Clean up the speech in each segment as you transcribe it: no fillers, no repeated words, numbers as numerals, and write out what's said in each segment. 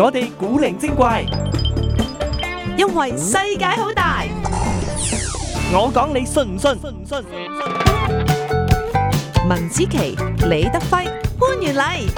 我哋古靈精怪，因為世界好大。我講你信唔信？文子琪、李德輝、潘元禮。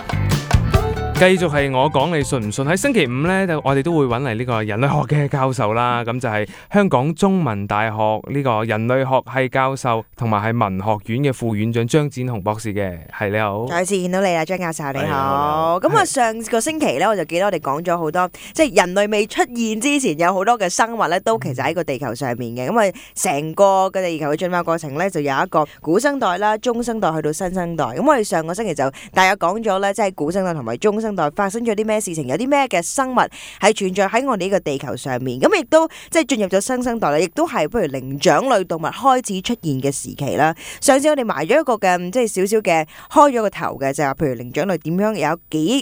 繼續係我講你信唔信？喺星期五呢，我哋都會揾嚟呢個人類學嘅教授啦。咁就係香港中文大學呢個人類學系教授，同埋係文學院嘅副院長張展鴻博士嘅。係，你好，再次見到你啦，張教授你好。咁啊，上個星期呢，我就記得我哋講咗好多，即係人類未出現之前，有好多嘅生物呢，都其實喺個地球上面嘅。咁啊，成個嘅地球嘅進化過程呢，就有一個古生代啦、中生代去到新生代。咁我哋上個星期就大約講咗呢，即係古生代同埋中生代發生咗啲咩事情，有啲咩嘅生物係存在喺我哋呢個地球上面。咁亦都即係進入咗新生代啦，亦都係譬如靈長類動物開始出現嘅時期啦。上次我哋埋咗一個嘅即係少少嘅開咗個頭嘅，就係譬如靈長類點樣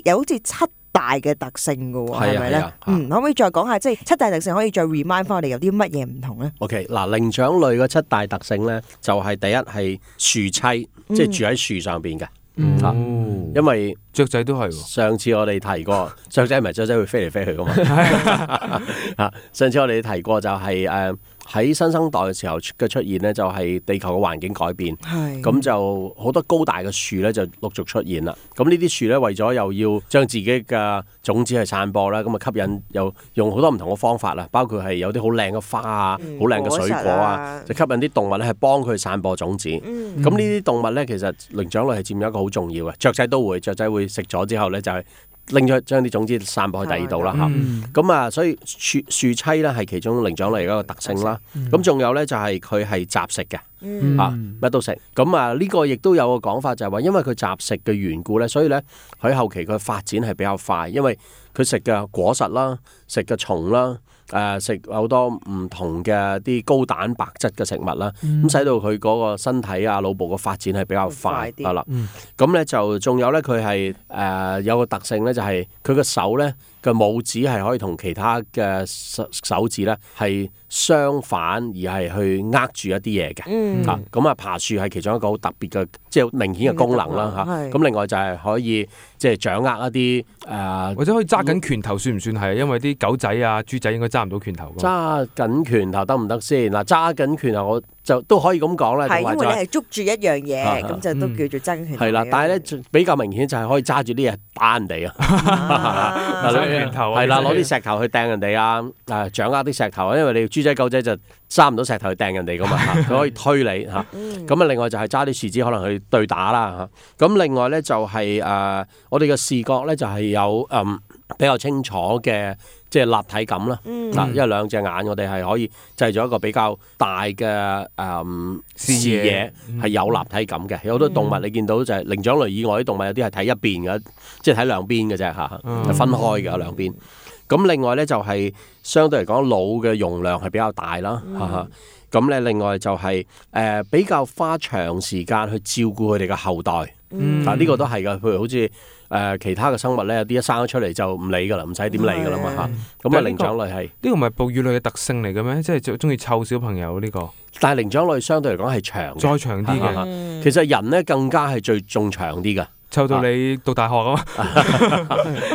有好似7大嘅特性㗎喎，係咪咧？可唔可以再講下即係7大特性，可以再 remind 翻我哋有啲乜嘢唔同咧？OK， 嗱，靈長類嘅7大特性咧，就係第一係樹棲，即係住喺樹上邊嘅。因為雀仔都係。上次我哋提過，雀仔唔係雀仔會飛嚟飛去噶嘛？上次我哋提過就係喺新生代嘅時候嘅出現呢，就係地球嘅環境改變，咁就好多高大嘅樹咧就陸續出現啦。咁呢啲樹咧為咗又要將自己嘅種子去散播啦，咁啊吸引又用好多唔同嘅方法啦，包括係有啲好靚嘅花啊、好靚嘅水果啊，就吸引啲動物咧係幫佢散播種子。咁呢啲動物咧其實靈長類係佔有一個好重要嘅，雀仔都會，雀仔會食咗之後咧就係拎咗將啲種子散播去第二度啦嚇，咁啊所以樹棲咧係其中靈長類嘅一個特性啦。咁仲有咧就係佢係雜食嘅，乜都食。咁啊呢個亦都有個講法就係話，因為佢雜食嘅緣故咧，所以咧喺後期佢發展係比較快，因為佢食嘅果實啦、食嘅蟲啦、食好多唔同嘅啲高蛋白質嘅食物啦，咁使到佢嗰個身體啊、腦部嘅發展係比較快係啦。咁咧就仲有咧，佢係有個特性咧，就係佢個手咧嘅拇指係可以同其他嘅手指咧係相反，而係去握住一啲嘢嘅。咁啊爬樹係其中一個好特別嘅，即係明顯嘅功能啦嚇。咁另外就係可以即係掌握一啲或者可以揸緊拳頭算唔算係？因為啲狗仔啊、豬仔應該揸唔到拳頭。揸緊拳頭得唔得先？嗱，揸緊拳頭我就都可以咁講啦。係因為你係捉住一樣嘢，咁就都叫做揸緊拳頭。係啦，但係咧比較明顯就係可以揸住啲嘢打人哋啊！攞拳頭係啦，攞啲石頭去掟人哋啊！掌握啲石頭，因為你豬仔狗仔就揸唔到石頭去掟人哋噶嘛，佢可以推你嚇。咁啊，另外就係揸啲樹枝可能去對打啦嚇。咁另外咧就係我哋嘅視覺咧就係有比較清楚嘅即係立體感啦。因為兩隻眼我哋係可以製造一個比較大嘅視野，係有立體感嘅。有好多動物你見到就係靈長類以外啲動物，有啲係睇一邊嘅，即係睇兩邊嘅啫嚇，係分開嘅兩邊。咁另外咧就係相對嚟講腦嘅容量係比較大啦。咁咧另外就係比較花長時間去照顧佢哋嘅後代。但呢個都係㗎，譬如好似其他嘅生物咧，有啲一生咗出嚟就唔理㗎啦，唔使點理㗎啦嘛嚇。咁啊靈長類係呢個唔係哺乳類嘅特性嚟嘅咩？即係中意湊小朋友呢個。但係靈長類相對嚟講係長，再長啲嘅。其實人咧更加係最仲長啲㗎。湊到你讀大學啊嘛，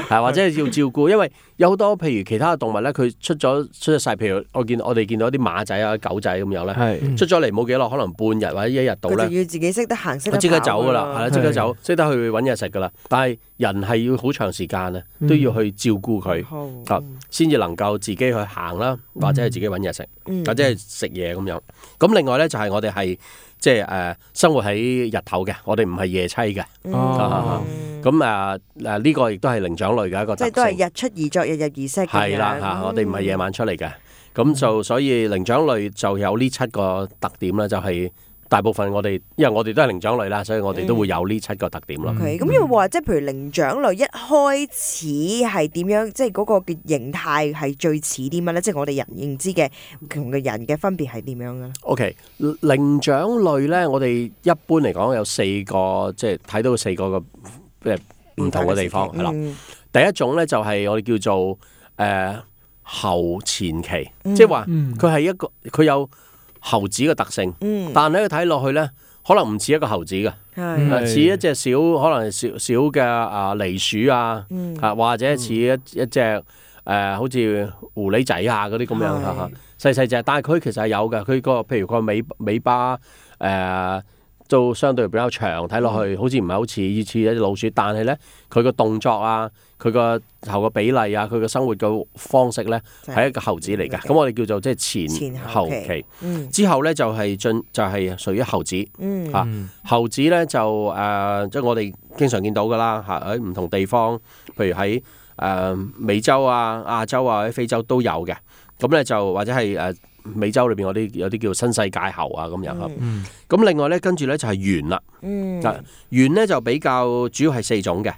係或者係要照顧，因為有好多譬如其他嘅動物咧，佢出咗世，譬如我哋見到啲馬仔啊、狗仔咁樣咧，出咗嚟冇幾耐，可能半日或者一日到咧，佢就要自己識得行，識得跑，即刻走噶啦，係啦，即刻走，識得去揾嘢食噶啦。但係人係要好長時間啊，都要去照顧佢，先至能夠自己去行啦，或者係自己揾嘢食，或者係食嘢咁樣。咁另外咧就係我哋係。即係生活喺日頭嘅，我哋唔係夜棲嘅。咁呢個亦都係靈長類嘅一個特性。即係都係日出而作，日入而息。係啦我哋唔係夜晚出嚟嘅。咁就所以靈長類就有呢7個特點啦，就係。大部分因為我哋都係靈長類啦，所以我哋都會有呢7個特點咯。咁要話即係譬如靈長類一開始係點樣，即係嗰個嘅形態係最似啲乜咧？即係我哋人認知嘅同嘅人嘅分別係點樣嘅咧？OK， 靈長類咧，我哋一般嚟講有4個，即係睇到4個嘅唔同嘅地方係啦。第一種咧就係我哋叫做後前期，即係話佢係佢有猴子嘅特性，但係佢睇落去咧，可能唔似一個猴子嘅，似一隻可能小嘅狸鼠啊，或者似一隻好似狐狸仔啊嗰啲咁樣細細隻，但係佢其實係有嘅，佢譬如個尾巴都相對比較長，睇落去好似唔係好似一隻老鼠，但係咧佢個動作啊，佢個頭個比例啊，佢個生活嘅方式咧係一個猴子嚟嘅。咁我哋叫做即係前後期。之後咧就係屬於猴子。猴子咧就即係我哋經常見到㗎啦嚇，喺唔同地方，譬如喺美洲啊、亞洲啊、或者非洲都有嘅。咁咧就或者係美洲裏邊有啲叫新世界猴啊咁樣嚇。咁另外咧跟住咧就係猿啦。猿咧就比較主要係4種嘅。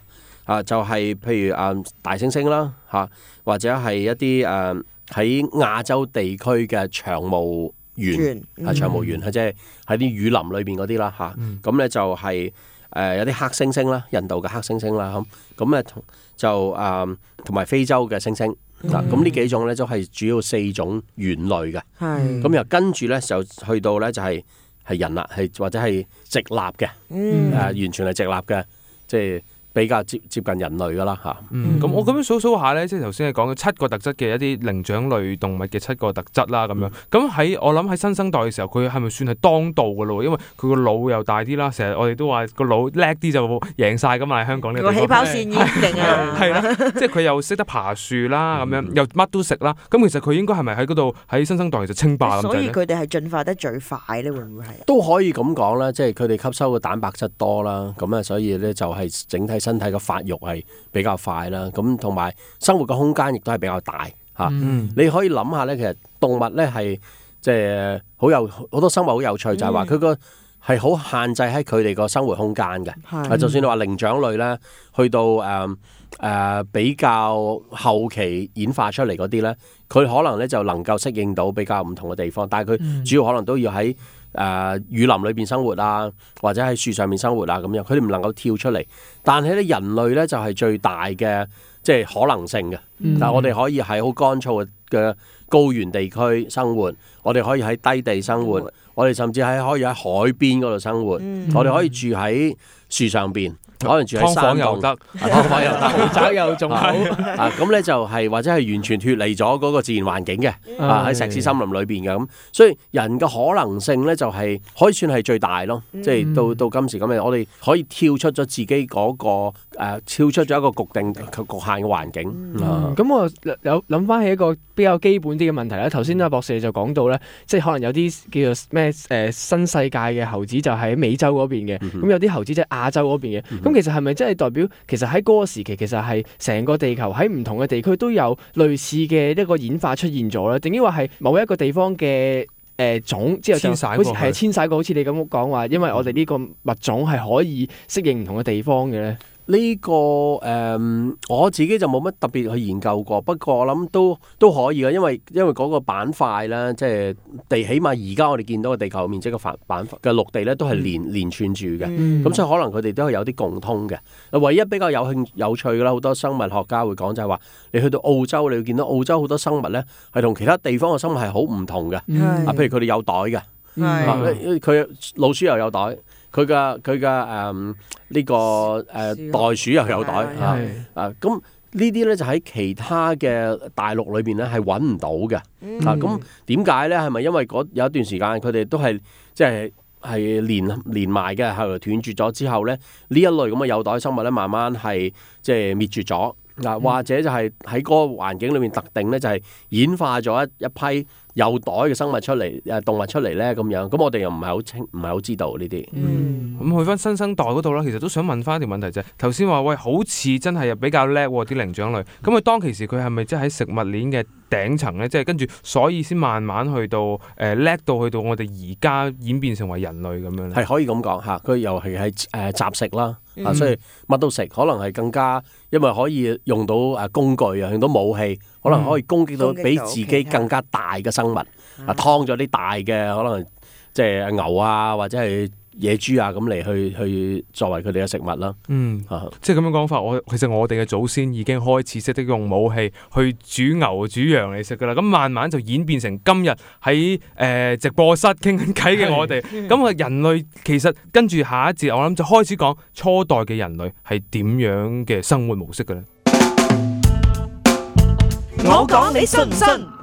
就係譬如大猩猩啦嚇，或者係一啲喺亞洲地區嘅長毛猿，長毛猿即係喺啲雨林裏邊嗰啲啦嚇。咁咧就係有啲黑猩猩啦，印度嘅黑猩猩啦咁咧就同埋非洲嘅猩猩。咁呢幾種咧都係主要4種猿類嘅。咁又跟住咧就去到咧就係人啦，或者係直立嘅，完全係直立嘅，即係比較接近人類噶啦嚇。咁我咁樣數下咧，即係頭先你講嘅7個特質嘅一啲靈長類動物嘅7個特質啦咁樣。咁我諗喺新生代嘅時候，佢係咪算係當道噶咯？因為佢個腦又大啲啦，成日我哋都話個腦叻啲就贏晒噶嘛。喺香港呢個地方，個起跑線已經定啊，係啦，即係佢又識得爬樹啦，咁樣又乜都食啦。咁其實佢應該係咪喺嗰度喺新生代其實稱霸咁滯咧？所以佢哋係進化得最快咧，會唔會係？都可以咁講啦，即係佢哋吸收嘅蛋白質多啦，咁啊，所以咧就係整體身體嘅發育係比較快啦。咁同埋生活嘅空間亦都係比較大嚇。你可以諗下咧，其實動物咧係即係好多生物好有趣，就係話佢個係好限制喺佢哋個生活空間嘅。就算你話靈長類咧，去到比較後期演化出嚟嗰啲咧，佢可能咧就能夠適應到比較唔同嘅地方，但係佢主要可能都要喺雨林裏邊生活啊，或者喺樹上面生活啊咁樣，佢哋唔能夠跳出嚟。但係咧人類咧就係最大嘅即係可能性嘅。但係我哋可以喺好乾燥嘅高原地區生活，我哋可以喺低地生活，我哋甚至可以喺海邊嗰度生活，我哋可以住喺樹上邊。可能住喺山洞又得，劏房又得，豪宅又仲好。咁咧就係或者係完全脫離咗嗰個自然環境嘅，喺石屎森林裏邊嘅咁。所以人嘅可能性咧就係可以算係最大咯。即係到今時今日，我哋可以跳出咗自己嗰個跳出咗一個局限嘅環境。咁我有諗翻起一個比較基本啲嘅問題啦。頭先阿博士就講到咧，即係可能有啲叫做咩新世界嘅猴子就喺美洲嗰邊嘅，咁有啲猴子即係亞洲嗰邊嘅。咁其實係咪真係代表其實喺嗰個時期，其實係成個地球喺唔同嘅地區都有類似嘅一個演化出現咗咧？定抑或係某一個地方嘅種之後就好似係遷徙過，好似你咁講話，因為我哋呢個物種係可以適應唔同嘅地方嘅咧？呢個我自己就冇乜特別去研究過，不過我諗都可以嘅，因為嗰個板塊咧，即係起碼而家我哋見到嘅地球面積嘅板塊嘅陸地咧，都係連串住嘅，咁所以可能佢哋都係有啲共通嘅。唯一比較有趣嘅啦，好多生物學家會講就係話，你去到澳洲，你會見到澳洲好多生物咧係同其他地方嘅生物係好唔同嘅。譬如佢哋有袋嘅，佢老鼠又有袋。佢嘅呢個袋鼠又有袋咁呢啲咧就喺其他嘅大陸裏邊咧係揾唔到嘅。咁點解咧？係咪因為有一段時間佢哋都係即係連埋嘅，後來斷絕咗之後咧，呢一類咁嘅有袋生物咧，慢慢係即係滅絕咗。或者就係喺嗰個環境裏面特定咧，就係演化咗一批有袋嘅生物出嚟，動物出嚟咧咁樣。咁我哋又唔係好知道呢啲。咁去翻新生代嗰度啦，其實都想問翻一條問題就係頭先話喂，好似真係比較叻啲靈長類。咁佢當其時佢係咪即係喺食物鏈嘅頂層咧？即係跟住所以先慢慢去到叻到去到我哋而家演變成為人類咁樣咧？係可以咁講嚇，佢又係雜食啦。所以乜都食，可能係更加，因為可以用到工具啊，用到武器，可能可以攻擊到比自己更加大嘅生物。劏咗啲大嘅，可能即係牛啊，或者係野豬啊咁嚟去作為佢哋嘅食物啦。即係咁樣講法，其實我哋嘅祖先已經開始識得用武器去煮牛煮羊嚟食噶啦。咁慢慢就演變成今日喺直播室傾緊偈嘅我哋。咁人類其實跟住下一節，我諗就開始講初代嘅人類係點樣嘅生活模式嘅咧。我講你信唔信？